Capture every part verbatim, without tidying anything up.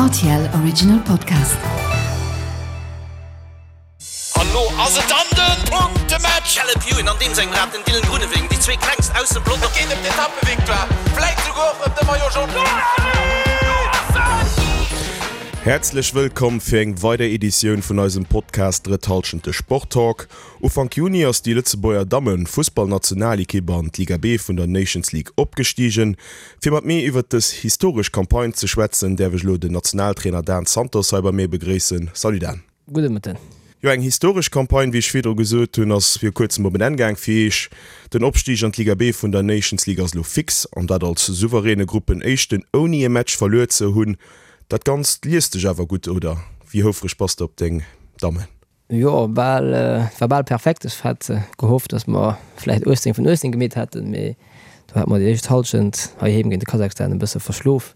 R T L Original Podcast. An lo ass et dann den Punktematch! Caleb Ewan an deem sengem Rad, den Dylan Groenewegen, déi zwee klengst aus dem Pelotong. Et geet ëm d'Etappevictoire, vläit souguer och ëm de Maillot Jaune. Häerzlech wëllkomm fir eng weider Editioun vun eisem Podcast Drëtt Hallschent, de Sport-Talk. Ufank Juni ass déi Lëtzebuerger Dammen-Fussballnationalekipp an d'Liga B vun der Nations League opgestigen. Fir mat mir iwwert dës historesch Campagne ze schwätzen, däerf ech elo den Nationaltrainer Dan Santos hei bei mir begréissen. Salut Dan. Gudde Mëtten. Jo, eng historesch Campagne, wéi ech virdru gesot hunn, ass viru kuerzem op en Enn gaang fir Iech. Den Opstig an d'Liga B vun der Nations League ass elo fix, an dat als souveräne Gruppenéischten, ouni e Match verluer ze hunn. Dat Ganzt liest sech awer gutt, oder? Wéi houfreg bass de op deng Dammen? Jo, bal, et war bal perfekt. Ech hat gehofft, datt mer vläicht uechtzéng vun uechtzéng gemeet hätten, mee do hate mer déi éischt Hallschent heiheem géint de Kasachstan e bësse verschlof.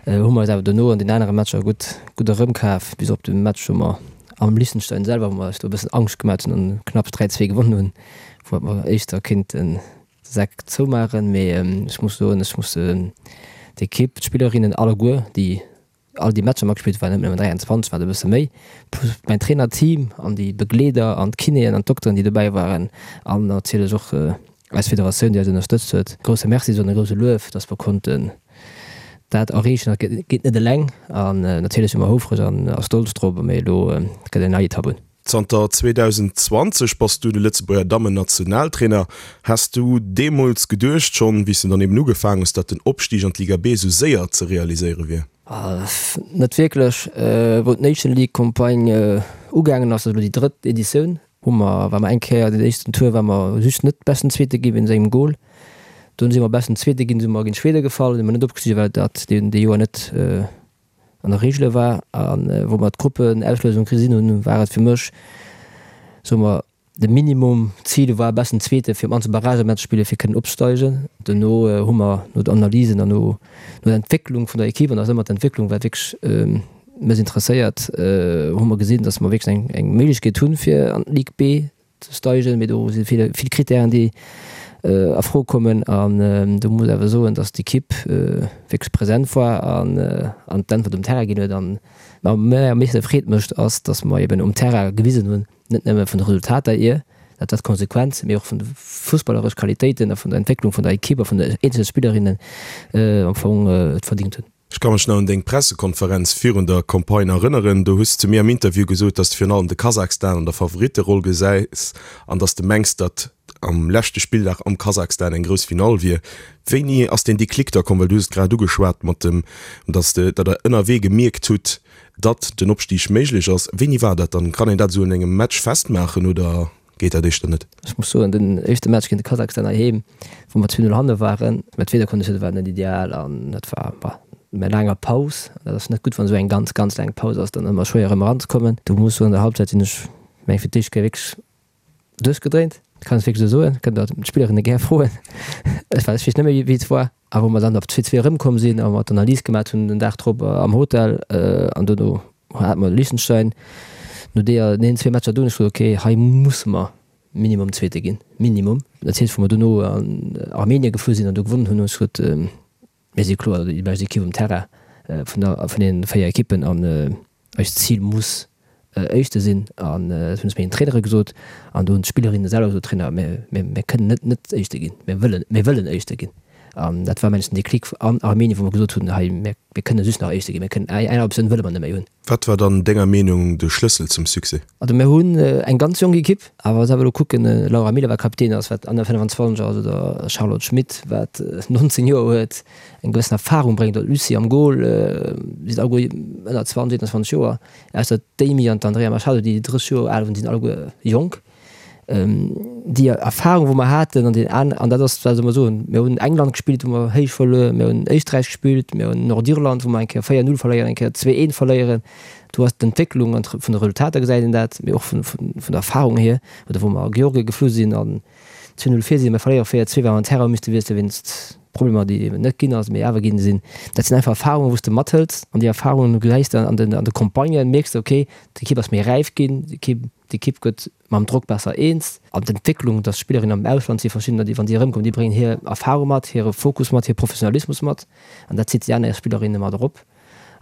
Hu mer eis awer dono an den anere Matcher gutt, gutt erëmkaf, bis op de Match, wou mer am Liechtenstein selwer, wou mer eis do e bëssen Angscht gemat hunn an knapps dräi zwee gewonnen hunn, wou hätt mer éischter kéinten de Sak zoumaachen. Mee ech muss soen, ech muss d'Ekipp, d'Spillerinnen alleguer, déi all déi Matcher matgespillt, waren net nëmmen dräianzwanzeg, waren e bësse méi, plus mäin Trainerteam an déi Begleeder an d'Kinéen an d'Dokteren, déi dobäi waren an natierlech och eis Federatioun, déi eis ënnerstëtzt huet. Grousse Merci soen, e grouse Luef, dass mer konnten dat erreechen. Dat geet net eleng an natierlech si mer houfreg an a stolz drop, mee elo gëtt eng nei Etapp un. Zanter zweedausenzwanzeg bass du de Lëtzebuerger Dammen-Nationaltrainer. Has du deemools geduecht, schonn wéi s du dann eben ugefaangen hues, datt den Opstig an d'Liga B esou séier ze realiséiere wier? Net wierklech. Wou d'Nation League Campagne ugaangen ass, dat ass elo déi drëtt Editioun, hu mer, war mer eng Kéier, den éischten Tour war mer just net beschten Zweete gi wéinst engem Gol. Dunn si mer beschten Zweete ginn, si mer géint Schwede gefall, si mer net opgestigen, well dat dee Joer net an der Regele war. A wou mer d'Gruppenauslosung gesinn hunn, war et fir mech, soe mer, de Minimum Zil war besten Zweete fir op mannst e Barragematch spille fir kënnen opsteigen. Dono hu mer no den Analysen an no der Entwécklung vun der Equipe, an dat ass ëmmer d'Entwécklung wat wierklech mech interesséiert, hu mer gesinn, datt mer wierklech eng eng Méiglechkeet hunn fir an d'Ligue B ze steigen. Mee do si vill vill Krittären déi a Fro kommen an do muss awer soen, datt d'Equipe wierklech present war an an d'Äntwert um Terrain ginn huet. An wat mir am meeschte Freed mécht ass, datt mer eben um Terrain gewisen hunn, net nëmme vun de Resultater hier, dat ass d'Konsequenz, mee och vun de fussballeresch Qualitéiten a vun der Entwécklung vun der Equipe a vun de eenzele Spillerinnen am Fong et verdingt hunn. Ech ka mech nach un deng Pressekonferenz virun der Campagne erënneren. Do hues de mir am Interview gesot, dass de virun allem de Kasachstan an der Favoritteroll gesäis an dass de mengs, datt am leschte Spilldag am Kasachstan eng grouss Finall wier. Wéini ass deen Déclic da komm? Well du hues et grad ugeschwat mat dem, dass de, datt der ënnerwee gemierkt hutt, datt den Opstig méiglech ass. Wéini war dat dann? Kann een dat esou un engem Match festmaachen oder geet dat éischter net? Ech muss soen, den éischte Match géint de Kasachstan heiheem, wou mer zwee Null hanne waren, mä d'Wiederkonditioune waren net ideal an dat war, bah, no enger laanger Paus, dat ass net gutt, wann esou eng ganz, ganz laang Paus ass, dann ëmmer schwéier erëm eranzekommen. Do muss ech soen, an der Halbzeit sinn ech, meng fir d'éischt Kéier wierklech duerchgedréint, kann ech wierklech esou soen, kënnt der d'Spillerinne gär froen, ech weess net méi wéi et war. A wou mer dann op zwee zwee erëmkomm sinn a mer d'Analys gemat hunn den Dag drop am Hotel an dono hate mer Liechtenstein, no deeër deenen zwee Matcher do hunn ech gesot, okay, hei musse mer Minimum Zweete ginn, Minimum. Dat heescht, wou mer dono an Armenien gefuer sinn an do gewonnen hunn, hunn ech gesot, mir si kloer déi bescht Ekipp um Terrain vun der vun deenen véier Ekippen an eist Zil muss Éischte sinn. An dat hunn ech mengen Trainere gesot an do hunn d'Spillerinne selwer gesot, Trainer, mir mir kënnen net net Éischte ginn, mir wëllen mir wëllen Éischte ginn. An dat war mengen ech den Déclic an Armenien, wou mer gesot hunn, hei mir mir kënne just nach Éischte ginn, mir kënnen eng aner Optioun wëlle mer net méi hunn. Wat war dann denger Meenung de Schlëssel zum Succès? Also mir hunn eng ganz jonk Ekipp, awer wa se elo kucken, Laura Miller wat Kapitän ass, wat ënner fënnefenzwanzeg ass, oder Charlotte Schmitt wat nonzéng Joer huet, eng gewëssen Erfahrung bréngt, oder d'Lucie am Goal, si sinn alleguer ënner zwanzeg, eenanzwanzeg Joer, ausser d'Amy an d'Andrea Machado, déi drësseg Joer al hunn, si sinn alleguer jonk. Déi Erfahrung, wou mer haten an deen an, an dat ass, wat soll mer soen, mir hunn England gespillt, wou mer héich verluer, mir hunn Éisträich gespillt, mir hunn Nordirland, wou mer eng Kéier véier Null verléieren, eng Kéier zwee eent verléieren. Do ass d'Entwécklung an vun de Resultater gesäit een dat, mee och vun, vun, vun der Erfahrung hier, oder wou mer a Georgien geflu sinn an zwee Null vir sinn, mer verléiere véier zwee, well mer den Terrain hu misste wiessele wéinst Problemer, déi eben net ginn ass, mee awer ginn sinn. Dat sinn einfach Erfahrungen, wou s de mathëls an déi Erfahrungen gesäis de an den, an de Campagnen, mierks de, okay, d'Ekipp ass méi räif ginn, d'Ekipp, d'Ekipp gëtt mam Drock besser eens. An d'Entwécklung, dass Spillerinnen am Ausland si verschiddener, déi wann déi erëmkommen, déi bréngen hir Erfahrung mat, hire Fokus mat, hire Professionalismus mat an dat zitt déi aner Spillerinne mat erop.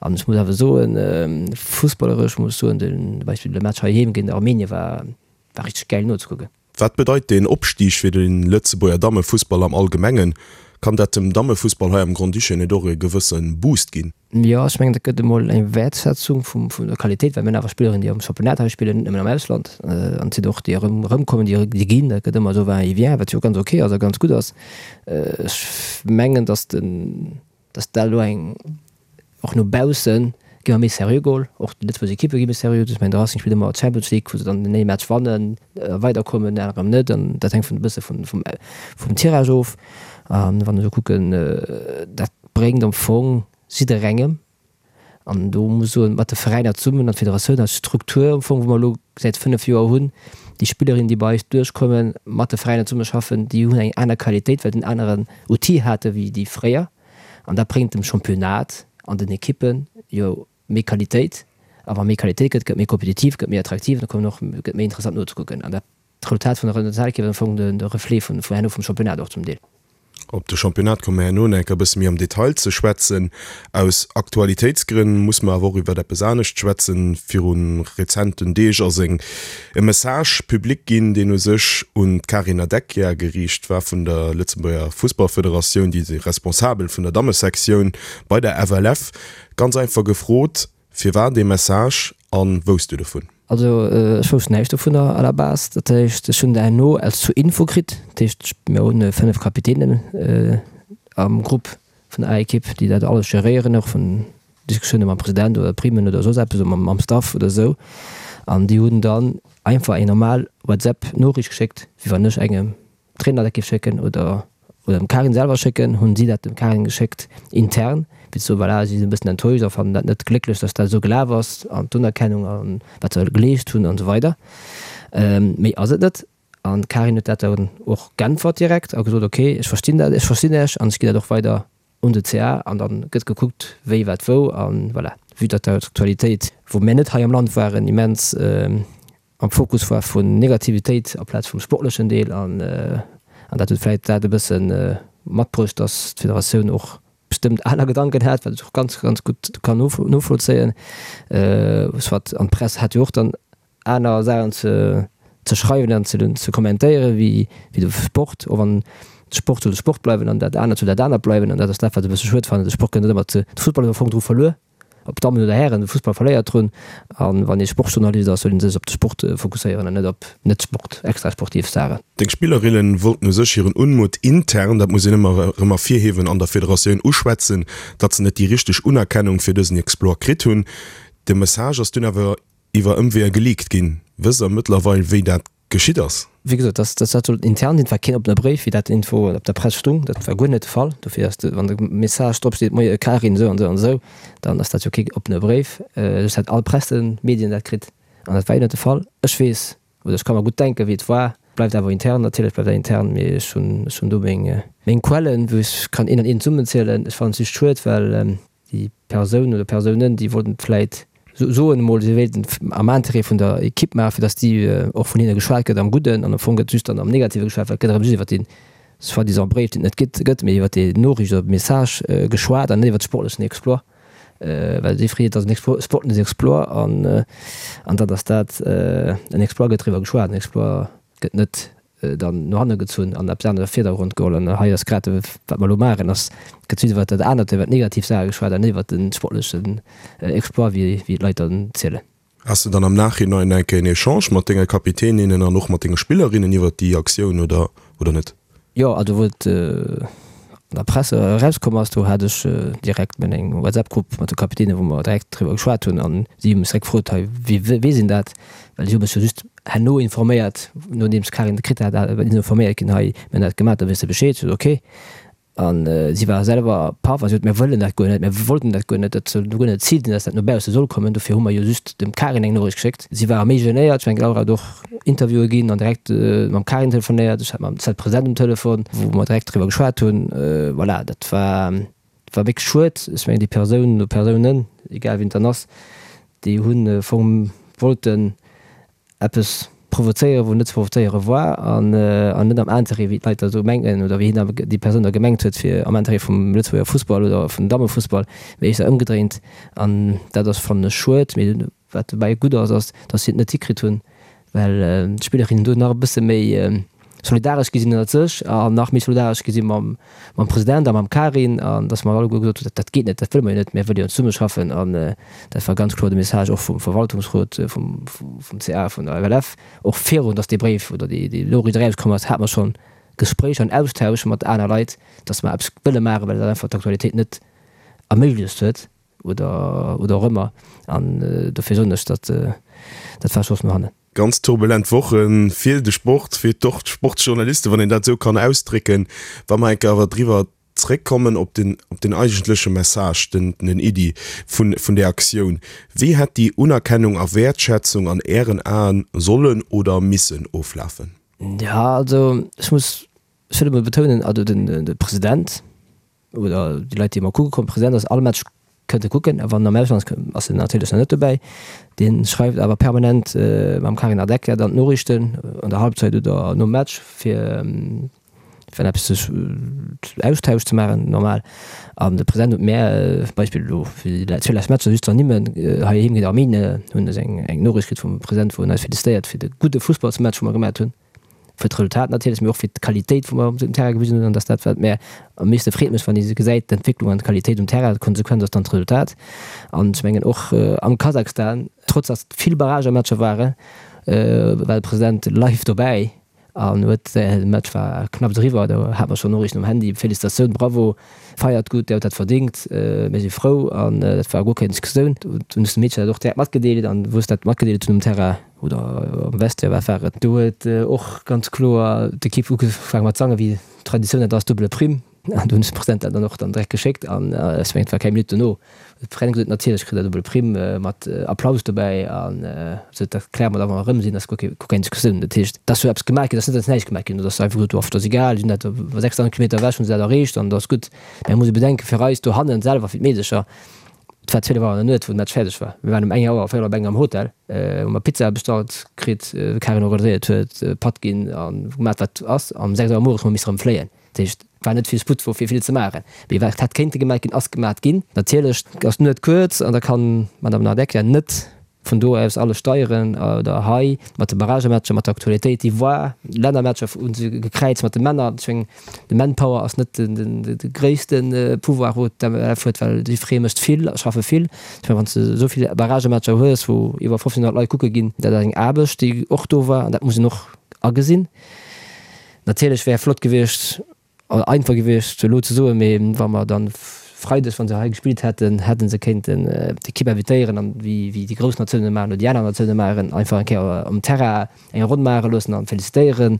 An ech muss awer soen, fussballeresch muss ech soen, den Beispill de Match heiheem géint Armenien war war richteg gäil nozekucken. Wat bedeit deen Opstig fir de Lëtzebuerger Dammefussball am Allgemengen? Kann dat dem Dammefussball hei am Grand-Duché net och e gewësse Boost ginn? Jo, ech mengen, dat gëtt emol eng Wäertschätzung vum, vun der Qualitéit, well mir hunn awer Spillerinnen, déi am Championnat hei spillen, net nëmmen am Ausland. An et sinn och déi erëm, erëmkommen, déi, déi ginn. Dat gëtt ëmmer esou va et vient, wat jo ganz ok ass a ganz gutt ass. Ech mengen, datt den, datt dat elo eng, och no bausse gi mer méi seriö geholl, och déi lëtzebuergesch Ekippe gi méi seriö. Ech mengen, de Racing spillt ëmmer Champions League, wou se dann den ee Match wannen a weiderkommen, den anere net. An dat hänkt vun e bësse vun, vum, vum Tirage of. A wann ech elo kucken, dat bréngt am Fong jidderengem, an do muss ech soen, mat de Veräiner zesummen an d'Federatioun als Struktur am Fong, wou mer elo säit fënnef Joer hunn, déi Spillerinnen, déi bei eis duerchkommen, mat de Veräiner zesummeschaffen, déi hunn eng aner Qualitéit, well se en aneren Outil hate wéi déi fréier. An dat bréngt dem Championnat an den Ekippen jo méi Qualitéit. A wa méi Qualitéit gëtt, gëtt méi kompetitiv, gëtt méi attraktiv, da kommen och, gëtt méi interessant nozekucken. An dat d'Resultat vun der Nationalekipp ass am Fong de Reflet vun herno vum Championnat och zum Deel. Op de Championnat komme mer herno nach eng Kéier e bësse méi am Detail ze schwätzen. Aus Aktualitéitsgrënn muss mer awer och iwwert eppes anescht schwätzen. Viru rezenten Deeg ass eng e Message public ginn, deen u sech un d'Karin Nardecchia geriicht war vun der Lëtzebuerger Fussballfederatioun, déi Responsabel vun der Dammesektioun bei der F L F. Ganz einfach gefrot, firwat dee Message a wousst du dovun? Also ech wousst näischt dovunner à la base. Dat heescht, ech hunn dat herno als zur Info kritt. Dat heescht, mir hunn fënnef Kapitänen am Grupp vun der A-Ekipp, déi dat alles geréieren, och vun Diskussioune mam President oder Primen oder soss eppes oder mam Staff oder esou. An déi hunn dann einfach eng normal WhatsApp-Noriicht geschéckt, wéi wann ech engem Trainer dat géif schécken oder oder dem Karin selwer schécken, hunn si dat dem Karin geschéckt intern, fir ze soen, voilà, si sinn e bëssen enttäuscht a fannen dat net glécklech, dass dat esou gelaf ass an d'Unerkennung a wat se geleescht hunn an esou weider. Méi ass et net. An d'Karin huet dat dann och geäntwert direkt a gesot, okay, ech verstinn dat, ech verstinn Iech an ech ginn dat och weider un de C A an dann gëtt gekuckt, wéi, wat, wou an voilà. Vue datt d'Aktualitéit, wou mir net hei am Land waren, immens am Fokus war vun Negativitéit aplaz vum sportlechen Deel an an dat huet vläit dat e bësse matbruecht, datt d'Federatioun och bestëmmt aner Gedanken hat, wat ech och ganz, ganz gutt kann novollzéien. Soit an d'Press hat jo och dann aner Saachen ze ze schreiwen an ze ze kommentéieren wéi wéi de Sport, och wann de Sport soll de Sport bleiwen an dat anert soll dat anert bleiwen an dat ass dat, wat ech e bësse schued fannen. De Sport gëtt net ëmmer ze, de Fussball huet am Fong dru verluer. Ob Dammen oder Hären, de Fussball verléiert drun. A wann ee Sportjournalist ass, soll ee sech op de Sport fokusséieren an net op net-Sport, extrasportiv Saachen. Deng Spillerinnen wollten u sech hiren Unmut intern, dat muss een ëmmer erëm ervirhiewen, an der Federatioun uschwätzen, datt se net déi richteg Unerkennung fir dësen Exploit kritt hunn. De Message ass dunn awer iwwer Ëmweeër geleakt ginn. Wësst der mëttlerweil, wéi dat geschitt ass? Wéi gesot, dat dat sollt intern sinn, et war keen oppene Bréif, wéi dat iergendwou op der Press stung. Dat war guer net de Fall. Dofir ass de, wann de Message drop steet, Moie Karin, esou an esou an esou, dann ass dat jo kee oppene Bréif. Just hat all Pressemedien dat kritt an dat war jo net de Fall. Ech weess oder ech ka mer gutt denken, wéi et war. Bleift awer intern, natierlech bleift dat intern, mee ech hunn, ech hunn do meng, meng Quellen, wou ech kann een an een zesummenzielen. Ech fannen et just schued, well déi Persoun oder Persounen, déi wollten vläit soen emol, si wéilten am Interêt vun der Ekipp maachen, fir datt déi och vun hinne geschwat gëtt am Gudden, an am Fong gëtt just dann am Negative geschwat, well et gëtt erëm just iwwer dee soi-disant Bréif, deen et net gëtt, gëtt, mee iwwer déi Noriicht oder Message geschwat an net iwwer de sportlechen Exploit, well si freet, et ass en sportlechen Exploit an an dat ass dat, en Exploit gëtt driwwer geschwat, en Exploit gëtt net dann no hanne gezunn an eppes anescht a Virdergrond geholl. An hei ass grad, wat mer elo maachen, ass, gëtt just iwwert dat anert, iwwert d'negativ Saache geschwat an net iwwert de sportlechen Exploit, wéi wéi d'Leit dann zielen. Has de dann am Nachhinein eng Kéier en Echange mat denge Kapitäninnen an och mat denge Spillerinnen iwwert déi Aktioun oder oder net? Jo, also wou et an der Press erauskomm ass, do hat ech direkt meng eng WhatsApp-Grupp mat de Kapitänen, wou mer direkt driwwer geschwat hunn an si hu mech direkt gefrot, hei, wie weess een dat? Well si hu mech jo just herno informéiert, nodeems d'Karin et kritt hat, sinn informéiert ginn, hei, mir hunn dat gemaach, da weess de Bescheed. Ech sot, okay. An si war selwer paff a si sot, mir wëllen dat guer net, mir wollten dat guer net, dat soll guer net d'Zil sinn, dass dat no bausse soll kommen, dofir hu mer jo just dem Karin eng Noriicht geschéckt. Si ware méi genéiert, ech mengen d'Laura huet och Interviewe ginn an direkt mam Karin telefonéiert, ech hat mam Zed President um Telefon, wou mer direkt driwwer geschwat hunn. Voilà, dat war, war wierklech schued. Ech mengen déi Persoun oder Persounen, egal wien et dann ass, déi hunn am Fong wollten eppes provozéieren, wou net ze provozéiere war an an net am Interêt, wéi d'Leit da sou mengen oder wéi hien déi Persoun da gemengt huet, fir am Interêt vum Lëtzebuerger Fussball oder vum Dammefussball, mee éischter ëmgedréint. An dat ass, fannen ech, schued. Mee wat dobäi gutt ass, ass, datt si et net hikritt hunn, well d'Spillerinnen do nach e bësse méi solidaresch gi sinn ënnert sech an nach méi solidaresch gi si mam mam President a mam Karin an datt mer alleguer gesot hunn, dat geet net, dat wëlle mer jo net, mir wëlle jo zesummeschaffen. An dat war ganz kloer de Message och vum Verwaltungsrot, vum vum C A, vun der F L F. Och virun datt dee Bréif oder déi déi Noriicht erauskomm ass, hate mer schonn Gespréicher an Austausch mat aner Leit, datt mer eppes wëlle maachen, well dat einfach d'Aktualitéit net erméiglecht huet oder oder och ëmmer. An dofir soen ech, datt dat war Schoss no hannen. Ganz turbulent Woche fir de Sport, fir d'Sportjournalisten, wann een dat esou kann ausdrécken. Wa mer eng Kéier awer driwwer zréckkommen op den, op den eigentleche Message, den, den Iddi vun, vun där Aktioun, Wéi hätt déi Unerkennung a Wäertschätzung an Ären Aen sollen oder missen oflafen? Jo, also ech muss, ech wëll emol betounen, also den, de President oder déi Leit, déi emol kucke kommen, President ass all Match kënnt e kucken, a wann en am Ausland ass, ass en natierlech nach net dobäi. Dee schreift awer permanent mam Carina Decker dann d'Noriichten an der Halbzeit oder nom Match, fir wann eppes sech Austausch ze maachen, normal. An de President huet mär, Beispill elo fir déi zwee lescht Matcher, just ze ernimmen, heiheem géint Arménien hunn ech eng eng Noriicht kritt vum President, wou en eis felicitéiert fir de gudde Fussballsmatch, wou mer gemat hunn. Fir d'Resultat natierlech, mee och fir d'Qualitéit, wou mer um Terrain gewisen hunn. An dass dat, wat mär am meeschte freet mécht, wann ee gesäit, d'Entwécklung an d'Qualitéit um Terrain, d'Konsequenz ass dann d'Resultat. An ech mengen och am Kasachstan, trotz dass et vill Barragematcher waren, war de President live dobäi an huet, de Match war knapps eriwwer, do hat mer schonn Noriichten um Handy, Felicitatioun, Bravo, feiert gutt, Dir hutt dat verdéngt, mir si frou. An dat war guer keng Diskussioun. Do hunn ech de Meedchen dat och direkt matgedeelt an wou ech dat matgedeelt hunn um Terrain, oder am Vestiaire, wat war et, do huet och ganz kloer d'Ekipp ugefaange mat sangen, wéi d'Traditioun dat ass, Double Prime. An do hunn ech dem President dat dann och dann direkt geschéckt an ech mengen, et war keng Minutt dono, huet de President gesot, natierlech kritt der Double Prime mat Applaus dobäi an sou, dat kläre mer da wa mer erëm sinn, dat ass guer keng Diskussioun. Dat heescht, et ass jo eppes gemaach ginn, et ass net, datt näischt gemaach ginn ass, datt einfach gesot gouf, dat ass egal, si hunn dat sechsdausend Kilometer ewech, hunn se dat erreecht an dat ass gutt. Mä et muss ee bedenken, fir eis dohannen selwer, fir d'Meedecher, Et war zwielef Auer an der Nuet, wou de Match fäerdeg war. Mir waren um eng Auer, véierel op eng am Hotel, hu mer Pizza bestallt kritt, d'Karin organiséiert huet, Patt ginn a gemat wat ass. An um sechs Auer mueres hu mer misse erëm fléien. Dat heescht, et war net vill Sputt wou fir vill ze maachen. Mee wat hätt kéinte gemat ginn, ass gemat ginn. Natierlech ass d'Nuet kuerz an da kann d'Madame Nardecchia net vun do aus alles steieren oder hei mat de Barragematcher, mat der Aktualitéit déi war, Lännermatcher hu se gekräizt mat de Männer. Ech mengen, de Manpower ass net de gréisste Pouvoir wou d'M L F huet, well jiddweree mécht vill a schaffe vill. Ech mengen, wann s de esou vill Barragematcher hues, wou iwwer fofzénhonnert Leit kucke ginn, dat ass eng Aarbecht déi och do war an dat muss een och agesinn. Natierlech wär flott gewiescht, einfach gewiescht elo ze soen, mee wa mer dann Freides, wa se hei gespillt hätten, hätte se kéinten d'Ekipp invitéieren an wéi déi grouss Natiounen maachen oder déi aner Natioune maachen, einfach eng Kéier um Terrain eng Ronn maache loossen an felicitéieren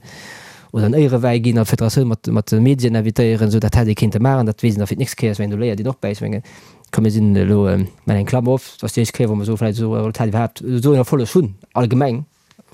oder en Éierewäi ginn an d'Federatioun mat mat de Medien invitéieren. Esou dat hätt ee kéinte maachen. Dat weess een da fir d'nächst Kéier. Ech mengen, do léiert een och bäi. Ech mengen, komm mir sinn elo, maachen eng Klammer op, et ass déi éischt Kéier wou mer esou vläicht esou e Resultat iwwerhaapt, esou en Erfolleg hunn allgemeng.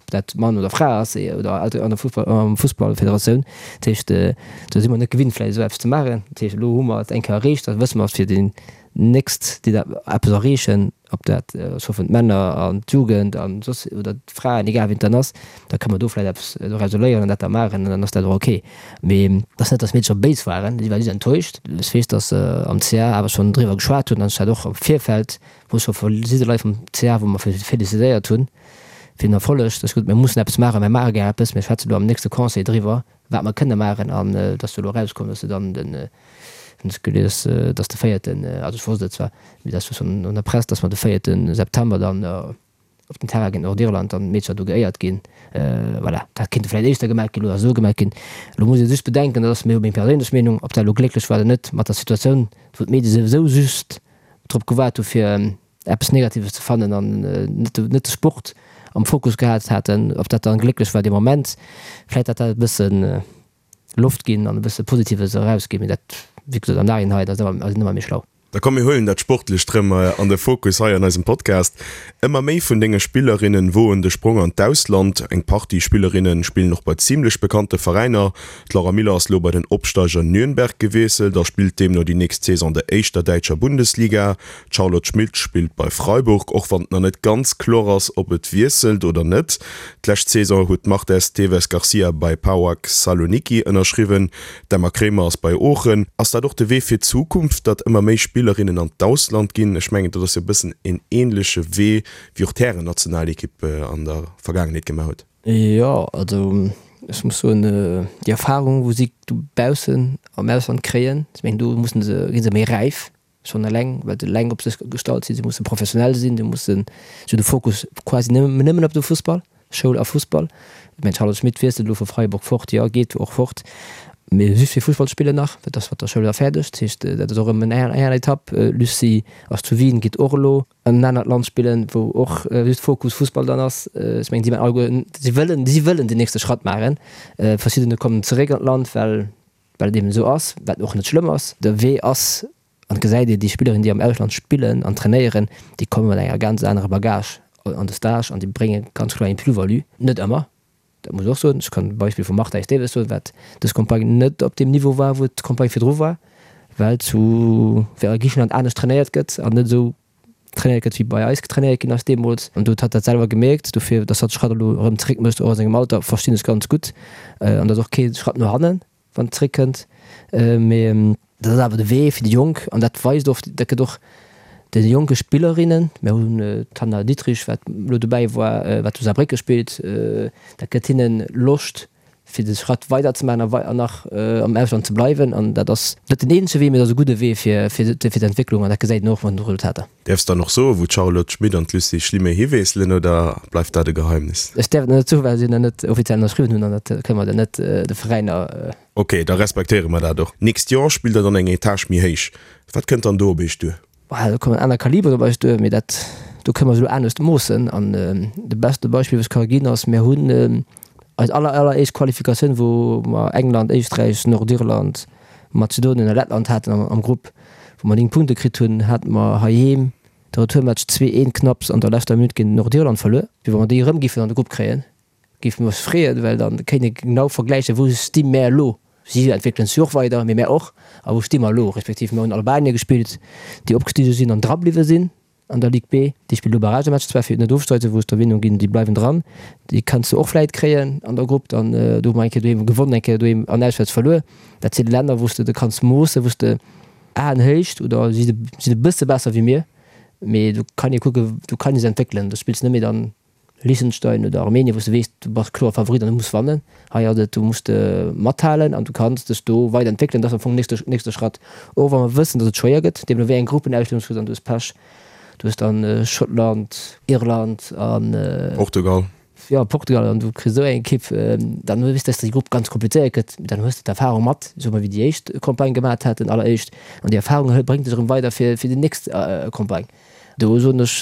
ob dat Mann oder Fra ass oder an der Fussballfederatioun. Dat heescht, do si mer net gewinnt vläicht esou eppes ze maachen. Dat heescht, elo hu mer et eng Kéier erreecht, da wësse mer fir déi nächst, déi dat eppes erreechen, ob dat, ech hoffen d'Männer an d'Jugend an soss oder d'Fraen, egal wien et dann ass, da kënne mer do vläicht eppes doraus léieren an dat da maachen an dann ass dat och ok. Mee et ass net, datt d'Meedercher béis waren, si ware just enttäuscht. Ech weess, datt se am C A awer schonn driwwer geschwat hunn an ech hat och am Virfeld, wou ech scho verschidde Leit vum C A, wou mer felicitéiert hunn, fir den Erfolleg. Dat ass gutt, mir mussen eppes maachen, mir maache gär eppes, mir schwätzen elo am nächste Conseil driwwer, wat mer kënne maachen an et ass jo elo erauskomm, dass se dann den, hunn ech gelies, dass de véierten, also ech wosst et zwar, mee dat ass jo schonn an der Press, dass mer de véierte September dann op den Terrain géint Nordirland dann d'Meedercher do geéiert ginn. Voilà, dat kéinte vläicht éischter gemaach ginn oder esou gemaach ginn. Elo muss ee sech bedenken, dat ass meng perséinlech Meenung, ob dat elo glécklech war oder net mat der Situatioun, wou d'Medie souwisou just drop gewaart hu fir eppes Negatives ze fannen an net de Sport am Fokus gehat haten, ob dat dann glécklech war dee Moment. Vläit hat dat e bësse Loft ginn an e bësse Positives erausginn, mee dat, wéi gesot, am Nachhinein ass ëmmer méi schlau. Da komm mir huelen dat Sportlecht rëm an de Fokus hei an eisem Podcast. Ëmmer méi vun denge Spillerinnen woen de Sprong an d'Ausland. Eng Partie Spillerinne spillen och bei zimlech bekannte Veräiner. D'Laura Miller ass lo bei den Opsteiger Nürnberg gewiesselt a spillt deemno déi nächst Saison an der éischter däitscher Bundesliga. D'Charlotte Schmitt spillt bei Freiburg, och wann et nach net ganz kloer ass, ob et wiesselt oder net. D'lescht Saison huet d'Marta Esteves Garcia bei PAOK Saloniki ënnerschriwwen. D'Emma Kremer ass bei Oochen. Ass dat och de Wee fir d'Zukunft, datt ëmmer méi Spillerinnen an d'Ausland ginn? Ech mengen, dat ass jo e bëssen en änleche Wee, wéi och d'Härennationalekipp an der Vergaangenheet gemaach huet. Jo, also ech muss soen, déi Erfarung, wou si dobaussen am Ausland kréien, ech mengen, do mussen se, gi se méi räif, schonn eleng, well se eleng op sech gestallt sinn. Si musse professionell sinn, si mussen, si hunn de Fokus quasi nëmmen op de Fussball. Schoul a Fussball. Ech mengen, d'Charlotte Schmit wiesselt elo vu Freiburg fort, jo, geet och fort, mee just fir Fussball ze spillen nach, well dat ass mat der Schoul da fäerdeg. Dat heescht, dat ass och erëm eng aner Etapp. Lucie ass zu Wien, geet och elo an en anert Land spillen, wou och just Fokus Fussball dann ass. Ech mengen, si maachen alleguer, si wëllen, si wëllen den nächste Schratt maachen. Verschiddener kommen zeréck an d'Land, well, well et eben esou ass, wat och net schlëmm ass. De Wee ass, an et gesäit ee, déi Spillerinnen, déi am Ausland spillen an trainéieren, déi komme mat enger ganz anerer Bagage an de Stage an déi brénge ganz kloer eng Plus-value. Net ëmmer, dat muss ech och soen. Ech kann d'Beispill vum Marta Esteves soen, wat dës Campagne net op deem Niveau war, wou d'Campagne virdru war, well zu well a Griichenland anescht trainéiert gëtt an net esou trainéiert gëtt, wéi bei eis trainéiert ginn ass deemools. An do huet hatt dat selwer gemierkt. Dofir, datt hatt de Schratt elo erëm zeréck mécht, och a sengem Alter, verstinn ech ganz gutt. An dat ass och kee Schratt no hannen, wann et zeréckkënnt. Mee dat ass awer de Wee fir déi Jonk an dat weist och, dat gëtt och de jonke Spillerinnen, mir hunn d'Hanna Dittrich, wat elo dobäi war, wat zu Saarbrécke spillt, dat gëtt hinne Loscht, fir de Schratt weider ze maachen a nach am Ausland ze bleiwen. An dat ass net den eenzege Wee, mee et ass e gudde Wee fir d'Entwécklung an dat gesäit een och an de Resultater. Däerfs dann och soen, wou d'Charlotte Schmit an d'Lucie Schlimé hiwiesselen oder bleift dat e Geheimnis? Ech däerf et net soen, well si nach net offiziell ënnerschriwwen hunn an dat kënne mer dann net de Veräiner. Ok, da respektéiere mer dat och. D'nächst Joer spillt der dann eng Etage méi héich. Wat kënnt dann do op iech duer? Do kommen aner Kaliberen op eis duer, mee dat do kënne mer se elo anescht moossen. An de beste Beispill, wat ech ka ginn, ass, mir hunn eis aller, alleréischt Qualifikatioun, wou mer England, Éisträich, Nordirland, Mazedonien a Lettland haten am Grupp, wou mer néng Punkte kritt hunn, hate mer heiheem de Retourmatch zwee een knapps an der leschter Minutt géint Nordirland verluer. Wéi wa mer déi erëm géifen an de Grupp kréien, géife mer eis freeën, well da kéint ee genau vergläichen, wou sti mär elo. Si entwéckelen sech jo och weider, mee mär och. A wou sti mer elo? Respektiv mir hunn Albanien gespillt, déi opgestige sinn an drabliwwe sinn an der Ligue B. Déi spillen elo Barragematch zwar fir net ofsteigen, wou ech der Meenung ginn, déi bleiwen dran. Déi kanns de och vläit kréien an der Grupp. Dann do hu mer eng Kéier doheem gewonnen, eng Kéier doheem an auswäerts verluer. Dat si Länner, wou s de de kanns moossen, wou s de Aenhéicht oder si sinn e bësse besser wéi mir, mee do kann ee kucken, do kann ee se entwéckelen. Do spills de net méi dann Liechtenstein oder Armenien, wou s de weess, du bass kloer Favorit an du muss wannen. Hei ass et, du muss de mathalen an du kanns dech do weider entwéckelen. Dat ass am Fong den nächste Schratt, och wa mer wëssen, datt et schwéier gëtt, deemno wéi eng Gruppenausstellung s du hues an du hues Pech, du hues dann Schottland, Irland an. Portugal. Jo, Portugal an du kriss esou eng Ekipp, dann weess de, datt déi Grupp ganz komplizéiert gëtt. Dann hues de d'Erfarung mat, soe mer, wéi déi éischt Campagne gemat haten, alleréischt. An déi Erfarung bréngt dech erëm weider fir fir déi nächst Campagne. Do soen ech,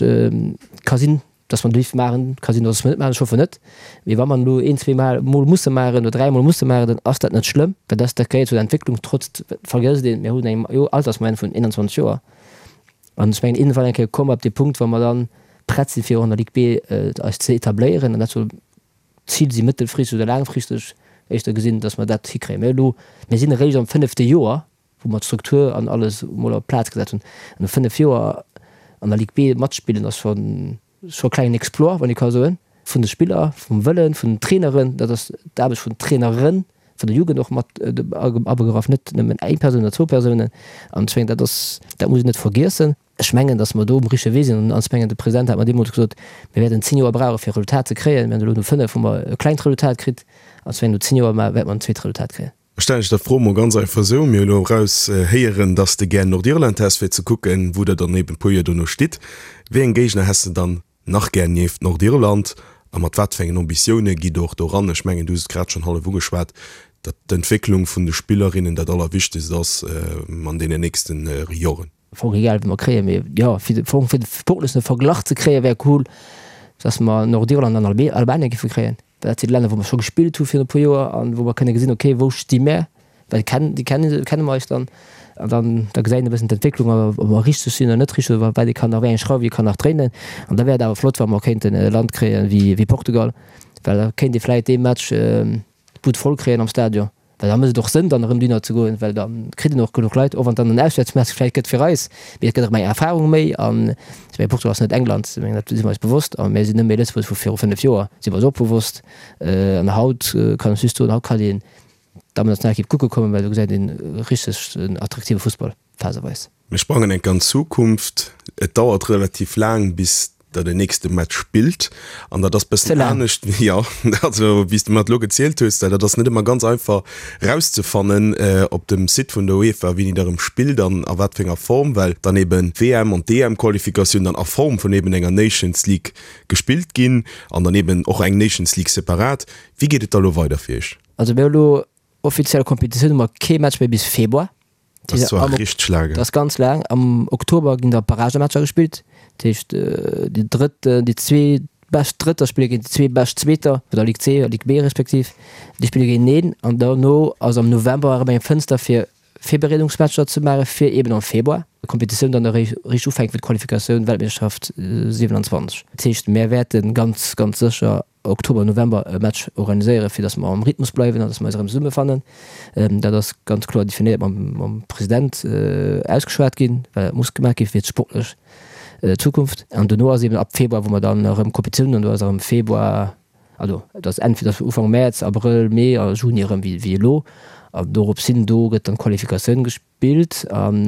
ka sinn, Dass mer déif maachen, ka sinn, dass mer net maachen, ech hoffen net. Mee wa mer elo een, zwee Mol musse maachen oder dräi Mol musse maachen, dann ass dat net schlëmm, well dat dat gehéiert zu der Entwécklung. Trotz, vergësst een, mir hunn eng Altersmoyenne vun eenanzwanzeg Joer. An ech mengen, iergendwann eng Kéier komme mer op dee Punkt, wou mer dann prett sinn, fir och an der Ligue B eis ze etabléieren. An dat soll d'Zil si mëttelfristeg oder laangfristeg éischter gesinn, dass mer dat hikréien. Mä elo, mir sinn eréischt am fënnefte Joer, wou mer d'Struktur an alles emol op d'Plaz gesat hunn. An no fënnef Joer an der Ligue B matspillen ass schonn scho klengen Exploit, wann ee ka soen, vun de Spiller, vum Wëllen, vun den Traineren, dat ass d'Aarbecht vun den Traineren, vun der Jugend och mat abegraff, net nëmmen eng Persoun oder zwou Persounen. An ech mengen, dat ass, dat muss een net vergiessen. Ech mengen, datt mer do um richtege Wee sinn. An ech mengen, de President hat mer deemools gesot, mir wäerten zéng Joer brauche fir e Resultat ze kréien. Mir hunn elo no fënnef hu mer e klengt Resultat kritt. An ech mengen, no zéng Joer wäerte mer en zweet Resultat kréien. Ech stellen dech der Fro mol ganz einfach esou, Mir hu elo eraus héieren, dass de gär Nordirland häss, fir ze kucken, wou der dann eben e puer Joer dono stitt. Wéi eng Géigner häss de dann nach gär nieft Nordirland a mat wat fir engen Ambitioune gitt der och do ran? Ech mengen, du hues et grad schonn hallef ugeschwat, datt d'Entwécklung vun de Spillerinnen dat Allerwichtegst ass an deenen nächste Joren. Fong egal wéi mer kréien, mee jo fir de Fong fir de sportlechen Verglach ze kréien wär cool, dass mer Nordirland an Albanien géife kréien, well dat si Länner wou mer scho gespillt hu virun e puer Joer an wou mer kënne gesinn, okay wou sti mär, well kennen déi kenne kenne mer eis dann. An dann da gesäit een e bëssen d'Entwécklung, ob mer richteg sinn oder net richteg, oder wat ee kann nach, wéi eng Schrauw ee kann nach dréinen. An da wär et awer flott, wa mer kéinten e Land kréien wéi Portugal, well da kéint ee vläicht dee Match d'Bud voll kréien am Stadion. Well da mécht et och Sënn, dann erëm dohinner ze goen, well da kritt een och genuch Leit, och wann et dann en Auswäertsmatch vläicht gëtt fir eis, mee et gëtt erëm eng Erfarung méi. An ech mengen, Portugal ass net England, ech mengen, dat si mer eis bewosst. A mir sinn net méi Lëtzebuerg vu viru fënnef Joer, si mer eis och bewosst. An haut kann ech just soen, haut kann een D'Dammennationalekipp kucke kommen, well do gesäit een richteg en attraktive Fussball, phaseweis. Mir sprangen enk an d'Zukunft. Et dauert relativ laang, bis der den nächste Match spillt. An dat ass bëssen anescht, jo, also wéi s de mer et elo gezielt hues. Dat ass net ëmmer ganz einfach rauszefannen op dem Site vun der UEFA, wéini der erëm spillt an a wat fir enger Form, well dann eben d'WM an d'EM-Qualifikatioun dann a Form vun eben enger Nations League gespillt ginn an dann eben och eng Nations League separat. Wéi geet et da elo weider fir iech? Also mir hu lo offiziell Kompetitioun hu mer kee Match méi bis Februar. Dat ass zwar richteg laang. Dat ass ganz laang. Am Oktober ginn da Barragematcher gespillt. Dat heescht déi drëtt, déi zwee bescht Drëtter spille géint déi zwee bescht Zweeter vun der Ligue C a Ligue B respektiv. Déi spille géinteneen an dono ass am November erëm eng Fënster fir Virbereedungsmatcher ze maache fir eben am Februar d'Kompetitioun dann eréischt richteg ufänkt fir d'Qualifikatioun Weltmeeschterschaft siwenanzwanzeg. Dat heescht mär wäerte ganz, ganz sécher Oktober, November e Match organiséieren, fir datt mer am Rhythmus bleiwen an datt mer eis erëm zesummefannen. Dat ass ganz kloer definéiert mam President ausgeschwat ginn, well dat muss gemaach gi fir d'sportlech Zukunft. An dono ass eben ab Februar, wou mer dann erëm Kompetitioun hunn, an do ass erëm Februar, also et ass entweder Ufank Mäerz, Abrëll, Mee a Juni erëm wéi elo. An dorops hin, do gëtt dann d'Qualifikatioun gespillt an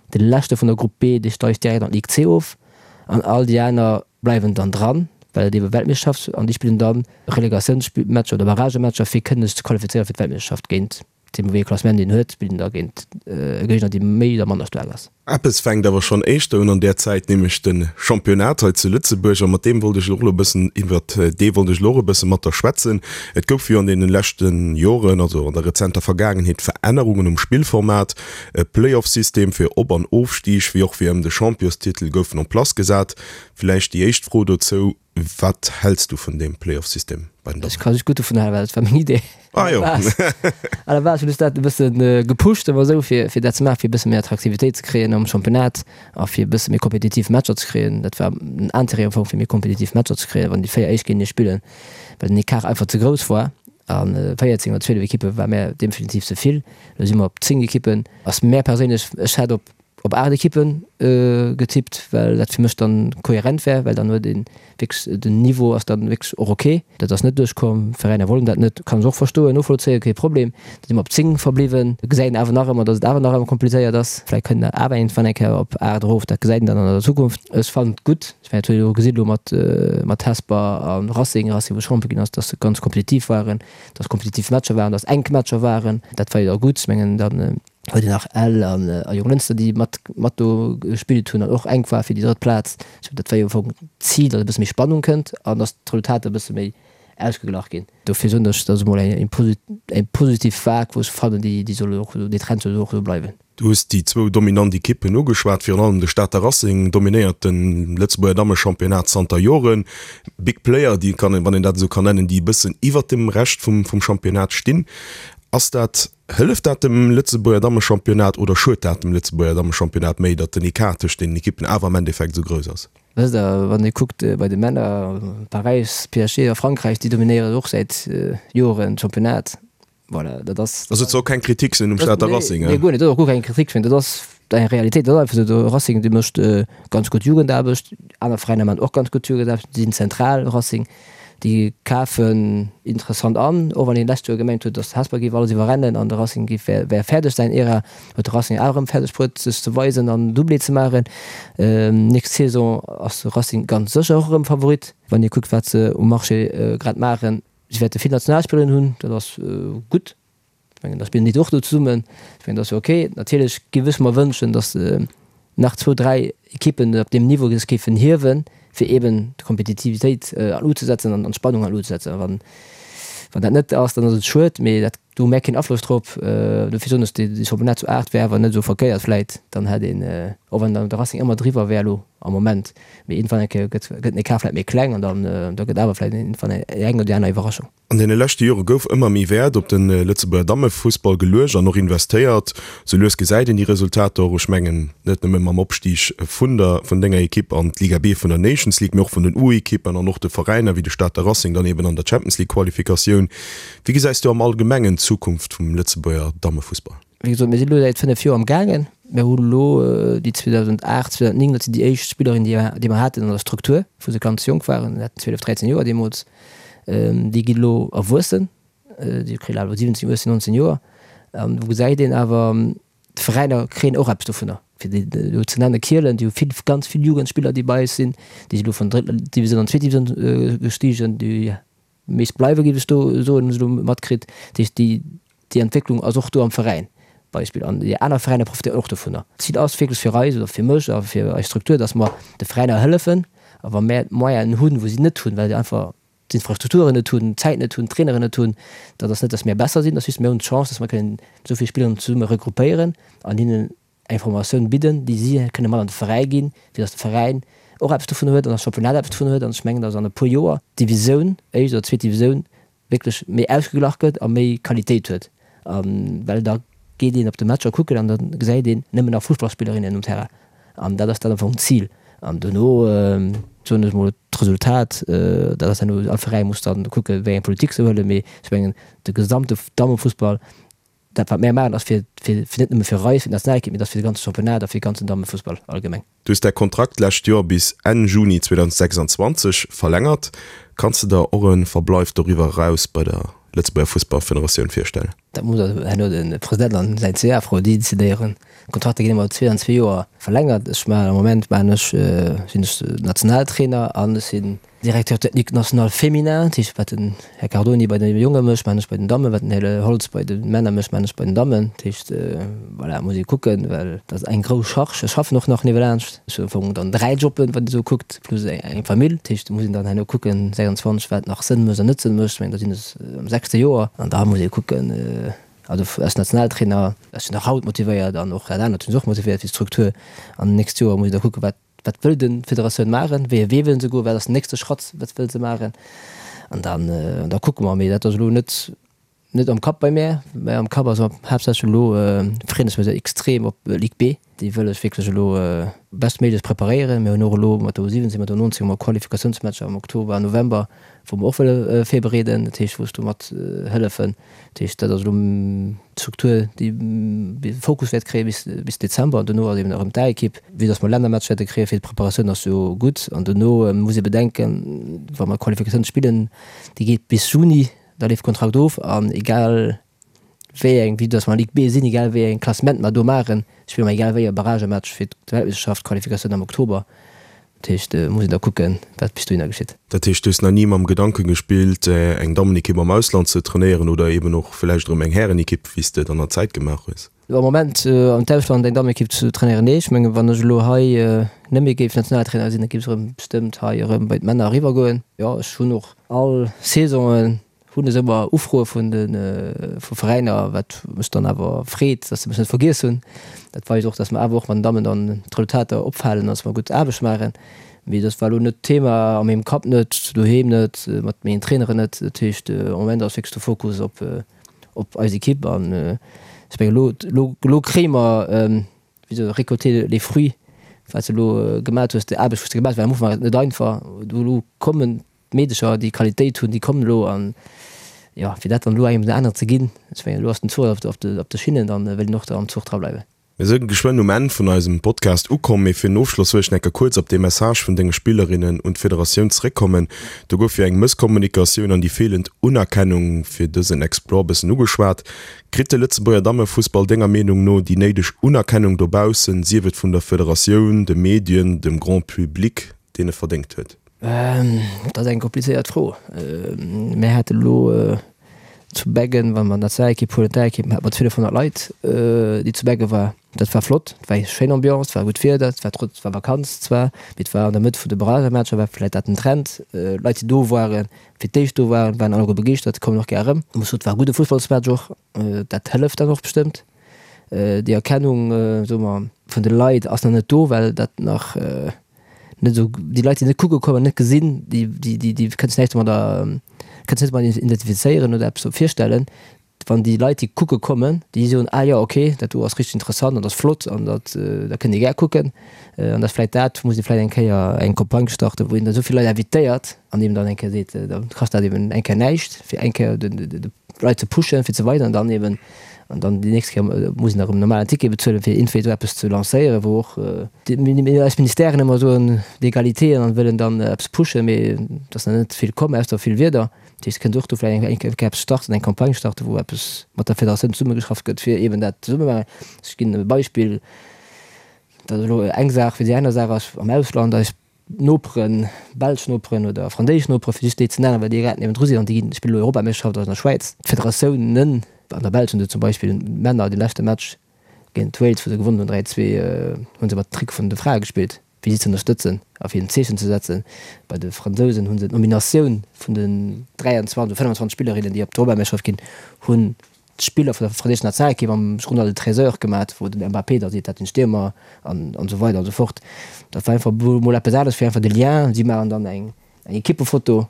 de leschte vun der Grupp B, dee steigt direkt an d'Ligue C of an all déi aner bleiwen dann dran, well et ebe Weltmeeschterschaft an déi spillen dann Relegatiounsmatcher oder Barragematcher fir kënnen sech ze qualifizéieren fir d'Weltmeeschterschaft géint dee wéi ee Klassement een huet, spillt een da géint e Géigner dee méi oder manner staark ass. Eppes fänkt awer schonn éischter un an där Zäit, nämlech de Championnat hei zu Lëtzebuerg. A mat deem wollt ech och elo e bëssen, iwwert dee wollt ech elo och e bësse mat der schwätzen. Et gouf jo an deene leschte Joren, also an der rezenter Vergaangenheet, Verännerungen um Spillformat. E Play-off-System fir Op an Ofstig, wéi och fir ëm de Championstitel goufen en place gesat. Villäicht déi éischt Fro dozou, Wat häls du vun deem Playoff-System bei den Dammen? Ech ka just gutt dovun halen, well dat war meng Idee. Ah jo. À la base hunn ech dat e bësse gepusht, awer esou, fir, fir dat ze maachen, fir e bësse méi Attraktivitéit ze kréien am Championnat a fir e bësse méi kompetitiv Matcher ze kréien. Dat war den Intérêt am Fong, fir méi kompetitiv Matcher ze kréien, wann déi véier Éischt géintenee spillen, well den Ecart einfach ze grouss war. A véierzéng oder zwielef Ekippe war mär definitiv ze vill. Elo si mer op zéng Ekippen. Ass mär perséinlech, ech hätt op op aacht Ekippen getippt, well dat fir mech dann kohärent wär, well dann huet ee wierklech, den Niveau ass dann wierklech och ok. Dat ass net duerchkomm, Veräiner wollen dat net, kann ech och verstoen, novollzéien, kee Problem. Da si mer op zéng verbliwwen, gesäit een awer nach ëmmer, datt et awer nach ëmmer komplizéiert ass. Vläicht kënnt der awer iergendwann eng Kéier op aacht erof, dat gesäit een dann an der Zukunft. Ech fannen et gutt, ech mengen dat huet een och gesinn elo mat mat Hesper a Racing, Racing wou Champion ginn ass, datt se ganz kompetitiv waren, datt kompetitiv Matcher waren, datt enk Matcher waren, dat war jo da gutt. Ech mengen dann huet een nach Ell an a Jonglënster, déi mat mat do gespillt hunn an och enk war fir déi drëtt Plaz. Sou dat war jo am Fong d'Zil, datt e bësse méi Spannung kënnt an datt d'Resultater e bësse méi ausgeglach ginn. Dofir soen ech, dat ass emol eng eng positiv Vague, wou ech fannen, déi déi soll och esou, dee Trend soll och esou bleiwen. Du hues déi zwou dominant Ekippen ugeschwat. Virun allem de Stater Racing dominéiert de Lëtzebuerger Dammechampionnat zanter Joren. Big Player, déi kann een, wann een dat esou kann nennen, déi e bëssen iwwert dem Rescht vum vum Championnat stinn. Ass dat, hëlleft dat dem Lëtzebuerger Dammechampionnat oder schued dat dem Lëtzebuerger Dammechampionnat méi, datt den Ecart tëscht deenen Ekippen awer am Endeffekt esou grouss ass? Wësst Der, wann ee kuckt bei de Männer, Paräis, P S G a Frankräich, déi dominéieren och säit Joren d'Championnat. Voilà, dat ass. Also et soll keng Kritik sinn um Stater Racing, Nee, guer net, dat ass och guer keng Kritik, dat ass eng Realitéit, dat ass einfach esou. De Racing, dee mécht ganz gutt Jugendaarbecht, aner Veräiner maachen och ganz gutt Jugendaarbecht, déi sinn zentral, Racing. Déi kafen interessant an, och wann een d'lescht Joer gemengt huet, datt Hesper géif alles iwwerrennen an de Racing géif wär fäerdeg säin Ära, huet de Racing awer erëm fäerdeg bruet sech ze weisen an Doublé ze maachen. Nächst Saison ass de Racing ganz sécher och erëm Favorit, wann ee kuckt wat se um Marché grad maachen. Si wäerte vill Nationalspillerinnen hunn, dat ass gutt. Ech mengen, da spillen déi och do zesummen. Ech mengen, dat ass jo ok. Natierlech géif ech mer wënschen, datt nach zwou, dräi Ekippen op deem Niveau sech géifen hiewen, fir eeben d'Kompetitivitéit an d'Lut ze setzen an d'Spannung an d'Lut ze setzen. Wann, wann dat net ass, dann ass et schued, mee dat Do hu mär keen Afloss drop. Dofir soen ech, dee Championnat zu aacht wär awer net esou verkéiert vläit. Dann hätt een, och wann dann de Racing ëmmer driwwer wär elo am Moment, mee iergendwann eng Kéier gëtt gëtt den Ecart vläit méi kleng an dann da gëtt awer vläit iergendwann eng oder déi aner Iwwerraschung. An deene leschte Jore gouf ëmmer méi Wäert op de Lëtzebuerger Dammefussball geluecht an och investéiert. Sou lues gesäit een déi Resultater och. Ech mengen net nëmme mam Opstig vun der vun denger Ekipp an d'Liga B vun der Nations League, mee och vun den U-Ekippen an och de Veräiner wéi de Stater Racing dann eben an der Champions League Qualifikatioun. Wéi gesäis du am Allgemengen d'Zukunft vum Lëtzebuerger Dammefussball? Wéi gesot, mir sinn elo säit fënnef Joer am gaangen. Mir hunn elo déi zweedausendacht, zweedausennéng, dat sinn déi éischt Spillerinnen, déi déi mer haten an der Struktur, wou se ganz jonk waren, déi haten zwielef, dräizéng Joer deemools. Déi ginn elo erwuessen, déi kréien elo siwwenzéng, uechtzéng, nonzéng Joer. An do gesäit een awer, d'Veräiner kréien och eppes dovunner. Fir déi elo ze nennen, Kielen, déi hu vill, ganz vill Jugendspiller, déi bei eis sinn, déi si elo vun der drëtter Divisioun an d'zweet Divisioun gestigen, déi meescht bleiwe géif ech do soen, hunn ech elo matkritt. Dat heescht, déi, déi Entwécklung ass och do am Veräin Beispill an déi aner Veräiner profitéieren och dovunner. D'Zil ass wierklech fir eis oder fir mech a fir eis Struktur, datt mer de Veräiner hëllefen a wa mär d'Moyenen hunn, wou si net hunn, well se einfach d'Infrastrukturen net hunn, d'Zäit net hunn, d'Traineren net hunn, dat ass net, datt mär besser sinn, dat ass just, mir hunn d'Chance, datt mer kënnen esou vill Spilleren zesumme regroupéieren an hinnen eng Formatioun bidden, déi si kënne mat an de Veräi ginn, fir datt de Veräin och eppes dovun huet an datt d'Championnat eppes dovun huet. An ech mengen, datt an e puer Joer d'Divisioun, éischt oder zweet Divisioun, wierklech méi ausgeglach gëtt a méi Qualitéit huet. A well da geet een op de Matcher kucken an da gesäit een nëmmen nach Fussballspillerinnen um Terrain. An dat ass dat am Fong d'Zil. An dono, soen ech mol, d'Resultat, dat ass herno, all Veräi muss dann kucken, wéi eng Politik se huelen. Mee ech mengen, de gesamte Dammefussball, dat wat mär maachen, ass fir, fir net nëmme fir eis, fir d'Nationalekipp, mee dat ass fir de ganze Championnat a fir de ganzen Dammefussball allgemeng. Du hues däi Kontrakt d'lescht Joer bis Enn Juni zweedausendsechsanzwanzeg verlängert. Kanns de der och e Verbleif doriwwer eraus bei der Lëtzebuerger Fussballfederatioun virstellen? Dat muss also herno de President an säin C A froen. Déi decidéieren. D'Kontrakter ginn ëmmer zwee an zwee Joer verlängert. Ech maachen am Moment maachen ech, sinn ech Nationaltrainer an ech sinn Directeur technique national féminin. Dat heescht, wat den Här Cardoni bei de Jonge mécht, maachen ech bei den Dammen, wat den Här Holtz bei de Männer mécht, maachen ech bei den Dammen. Dat heescht, voilà, muss ee kucken, well dat ass eng grouss Charge. Ech schaffen och nach niewelaanscht. Ech hunn am Fong dann dräi Jobben, wann ee sou kuckt, plus eng Famill. Dat heescht, do muss een dann herno kucken, sechsundzwanzeg, wat nach Sënn mécht an net Sënn mécht. Ech mengen, da sinn ech am sechste Joer an da muss ee kucken, also als Nationaltrainer, ech sinn nach haut motivéiert an och dat anert hunn se och motivéiert fir d'Struktur. An d'nächst Joer muss ee da kucken, wat wat wëll de Federatioun maachen, wéi e Wee wëlle se goen, wat ass den nächste Schratt, wat wëlle se maachen an dann da kucke mer. Mee dat ass elo net net am Kapp bei mär, mä am Kapp ass haaptsächlech elo, freeën ech mech extrem op Ligue B, déi wëll ech wierklech elo bestméiglech preparéieren. Mir hunn och elo mat der U siwwenzéng, mat der U nonzéng hu mer Qualifikatiounsmatcher am Oktober an November, wou mer och wëlle virbereeden, dat heescht wou ech do mat hëllefen. Dat heescht dat ass elo d'Struktur déi de Fokus wäert kréie bis bis Dezember an dono ass eben erëm d'A-Ekipp. Vue dass mer Lännermatch wäerte kréie fir d'Preparatioun ass jo gutt an dono muss ee bedenken, wa mer Qualifikatioun spillen, déi geet bis Juni, da leeft Kontrakt of an egal wéi eng, vue dass mer an Ligue B sinn, egal wéi eng Klassement mer do maachen, spille mer egal wéi e Barragematch fir d'Weltmeeschterschaft, Qualifikatioun am Oktober. Dat heescht, muss een da kucken, wat bis dohinner geschitt. Dat heescht, du hues nach ni mam Gedanke gespillt, eng Dammenekipp am Ausland ze trainéieren oder eben och vläicht erëm eng Härenekipp, wéi s de et an der Zäit gemaach hues? Am Moment an d'Ausland eng Dammenekipp ze trainéieren, nee. Ech mengen, wann ech elo hei net méi géif Nationaltrainer sinn, da géif ech erëm bestëmmt hei erëm bei d'Männer eriwwergoen. Jo, ech hunn och all Saisonen hunn ech ëmmer Ufroe vun de vu Veräiner, wat mech dann awer freet, dass se mech net vergiess hunn. Dat weist och, dass mer awer och mat den Dammen dann d'Resultater opfalen, dass mer gutt Aarbecht maachen. Mee dat war elo net d'Thema, a mengem Kapp net, doheem net, mat mengen Traineren net. Dat heescht, am Moment ass wierklech de Fokus op op eis Ekipp an ech mengen elo elo elo kréie mer, wéi soll récolter les fruits, wat s de elo gemat hues, déi Aarbecht wou s de gemat hues, well am Ufank war et net einfach. Do elo kommen d'Meedecher, déi Qualitéit hunn, déi kommen elo an jo, fir dat dann elo engem den aneren ze ginn, ech mengen, elo ass den Zuch op de, op de Schinnen, dann wëll een och da am Zuch dra bleiwen. Mir sënn geschwënn um Enn vun eisem Podcast ukomm, mee fir den Ofschloss wëll ech nach eng Kéier kuerz op dee Message vun denge Spillerinnen un d'Federatioun zeréckkommen. Do gouf jo eng Mësskommunikatioun an déi feelend Unerkennung fir dësen Exploit bëssen ugeschwat. Kritt de Lëtzebuerger Dammefussball denger Meenung no déi néideg Unerkennung dobaussen, sief et vun der Federatioun, de Medien, dem Grand Public, deen e verdéngt huet? Dat ass eng komplizéiert Fro. Mir hate elo zu Beggen, wa mer d'Nationalekipp huelen, d'A-Ekipp, hate mer zwielefhonnert Leit, déi zu Begge war. Dat war flott, et war eng schéin Ambiance, et war gutt Wieder, et war trotz, et war Vakanz zwar, mee et war an der Mëtt vun de Barragematcher, war vläicht dat den Trend. Leit déi do waren, fir d'éischt do waren, waren alleguer begeeschtert, kommen och gär erëm. Ech muss soen, et war e gudde Fussballsmatch och, dat hëlleft dann och bestëmmt. Déi Erkennung, soe mer, vun de Leit ass nach net do, well dat nach net esou, déi Leit déi net kucke kommen, net gesinn, déi, déi, déi kënnen sech näischt domadder, kënnen sech net domadder identifizéieren oder eppes virstellen. Wann déi Leit, déi kucke kommen, déi soen, ah jo, okay, dat do ass richteg interessant an dat ass flott an dat, da kënnt ee gär kucken. An dat ass vläicht dat, muss ee vläicht eng Kéier eng Campagne starten, wou een da esou vill Leit invitéiert an eben dann eng Kéier seet, da kascht dat eben eng Kéier näischt, fir eng Kéier de Leit ze pushen, fir ze weisen an dann eben, an dann déi nächst Kéier muss een erëm normalen Ticket bezuelen, fir iergendwéi esou eppes ze lancéieren, wou och eis Ministèren ëmmer soen, d'Egalité an wëllen dann eppes pushen, mee et ass nach net vill komm, ausser vill Wierder. Dat heescht, kënnt och do vläicht eng Kéier eppes starten, eng Campagne starten, wou eppes mat der Federatioun zesummegeschafft gëtt, fir eeben dat zesumme maachen. Ech ginn e Beispill, dat ass elo eng Saach, fir déi aner Saach ass am Ausland, eis Noperen, belsch Noperen oder franséisch Noperen, fir just déi ze nennen, well déi grad niewendru sinn an déi spillen elo Europameeschterschaft an der Schwäiz. D'Federatiounen an der Belsch hunn se zum Beispill d'Männer de leschte Match géint Wales, wou se gewonnen hunn, dräi zwee, hu se mat Trick vun de Frae gespillt, fir si ze ënnerstëtzen a fir en Zeechen ze setzen. Bei de Fransousen hu se d'Nominatioun vun den dräianzwanzeg oder fënnfanzwanzeg Spillerinnen, déi op d'Europameeschterschaft ginn, hunn d'Spiller vun der franséischer Nationalekipp am Journal de treize heures gemat, wou den Mbappé da seet, dat sinn Stiermer an an esou weider an esou fort. Dat war einfach mol eppes anescht, fir einfach de Lien. Si maachen dann eng eng Ekippefoto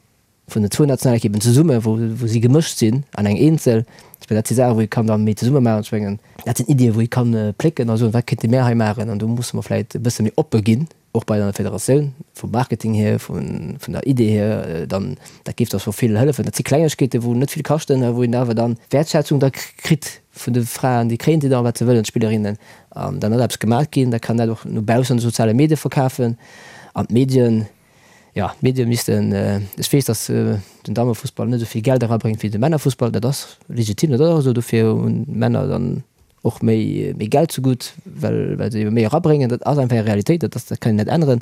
vun den zwou Nationalekippen zesummen, wou wou si gemëscht sinn an eng eenzel. Ech mengen, dat si Saachen, wou ee kann da méi zesumme maachen. Ech mengen, dat sinn Iddien, wou ee kann plécken a soen, wat kéinte mär hei maachen? An do musse mer vläicht e bësse méi oppe ginn. Och bei der Federatioun, vum Marketing hier, vun der Idee hier, dann, dat géif da scho vill hëllefen. Dat si Klengegkeeten, wou net vill kaschten, a wou een awer dann Wäertschätzung da kritt vun de Fraen, déi kréien déi dann, wat se wëllen, d'Spillerinnen. An dann ass eppes gemaach ginn, da kann dat och no baussen an de soziale Medie verkafen. An d'Medien, jo, d'Medie missten, ech weess, datt den Dammefussball net esou vill Geld erabréngt wéi de Männerfussball, dat ass legitim, dat ass och esou, dofir hunn d'Männer dann och méi méi Geld zegutt, well well se ebe méi erabréngen. Dat ass einfach eng Realitéit, dat ass, dat kann een net änneren.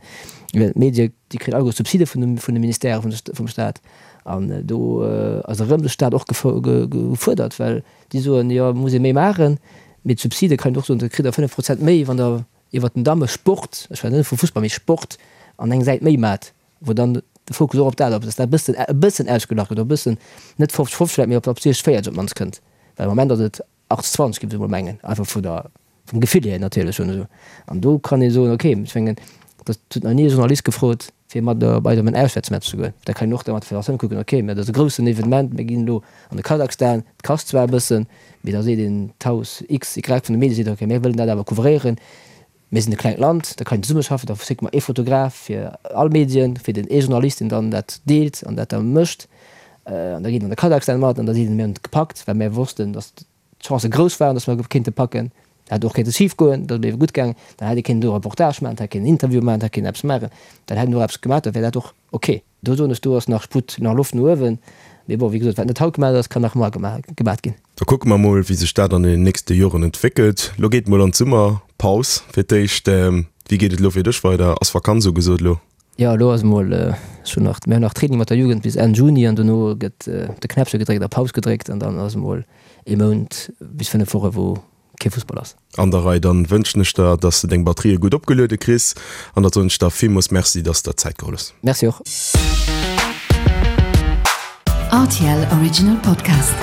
Well d'Medie, déi kréien alleguer Subside vun de vun de Ministèrë vun de vum Staat. An do ass erëm de Staat och gefuerdert, well déi soen, jo, et muss ee méi maachen, mee d'Subside kann een och soen, da kritt Der fënnef Prozent méi, wann Der iwwert den Dammesport, ech schwätzen net vu Fussball, mee Sport an eng Säit méi maacht, wou dann de Fokus och op dat ass, dass dat e bëssen e bëssen ausgeglach gëtt, och e bëssen, net fofzeg fofzeg vläicht, mee op op siechzeg véierzeg op d'mannst kënnt. Well am Moment ass et achtzeg zwanzeg géif ech emol mengen, einfach vu der, vum Gefill hier natierlech schon esou. An do kann ee soen, okay, ech mengen, dat huet nach ni e Journalist gefrot, fir mat op eis op en Auswäertsmatch ze goen. Da kann een och da mat der Federatioun kucken, okay, mä dat ass e groussen Evenement, mir ginn elo an de Kasachstan, et kascht zwar e bëssen, mee da seet een, d'Haus X, Y vun de Medie seet, okay, mir wëllen dat awer couvréieren, Mir sinn e klengt Land, da kann een zesummeschaffen, da schécke mer ee Fotograf fir all Medien, fir den ee Journalist, deen dann dat deelt an dat da mécht. An da geet en an de Kasachstan mat an da seet en, mir hunn et gepackt, well mir wossten, datt d'Chancë grouss waren, datt mer kéinte packen. Dat hätt och kéinte schif goen, dat ass ebe gutt gaangen. Dann hätt ee kéinten do e Reportage maachen, hätt kéinten en Interview maachen, hätt kéinten eppes maachen. Dann hätt een och eppes gemaach, da wär dat och ok. Do soen ech, do ass nach Sputt, nach Loft no uewen. Mee bon, wéi gesot, wat net haut gemaach ass, kann nach muar gemaach ginn. Da kucke mer mol, wéi sech dat an den nächste Joren entwéckelt. Lo geet mol an d'Summerpaus fir d'éischt. Wéi geet et elo fir dech weider? Ass Vakanz ugesot elo? Jo, elo ass mol, ech hunn nach, mir hunn nach Training mat der Jugend bis Enn Juni an dono gëtt de Knäppche gedréckt a Paus gedréckt an dann ass emol ee Mount bis fënnef Woche wou kee Fussball ass. An der Rei. Dann wënschen ech der, dass de deng Batterië gutt opgeluede kriss an da soen ech der villmools Merci, dass de der Zäit geholl hues. Merci och. R T L Original Podcast.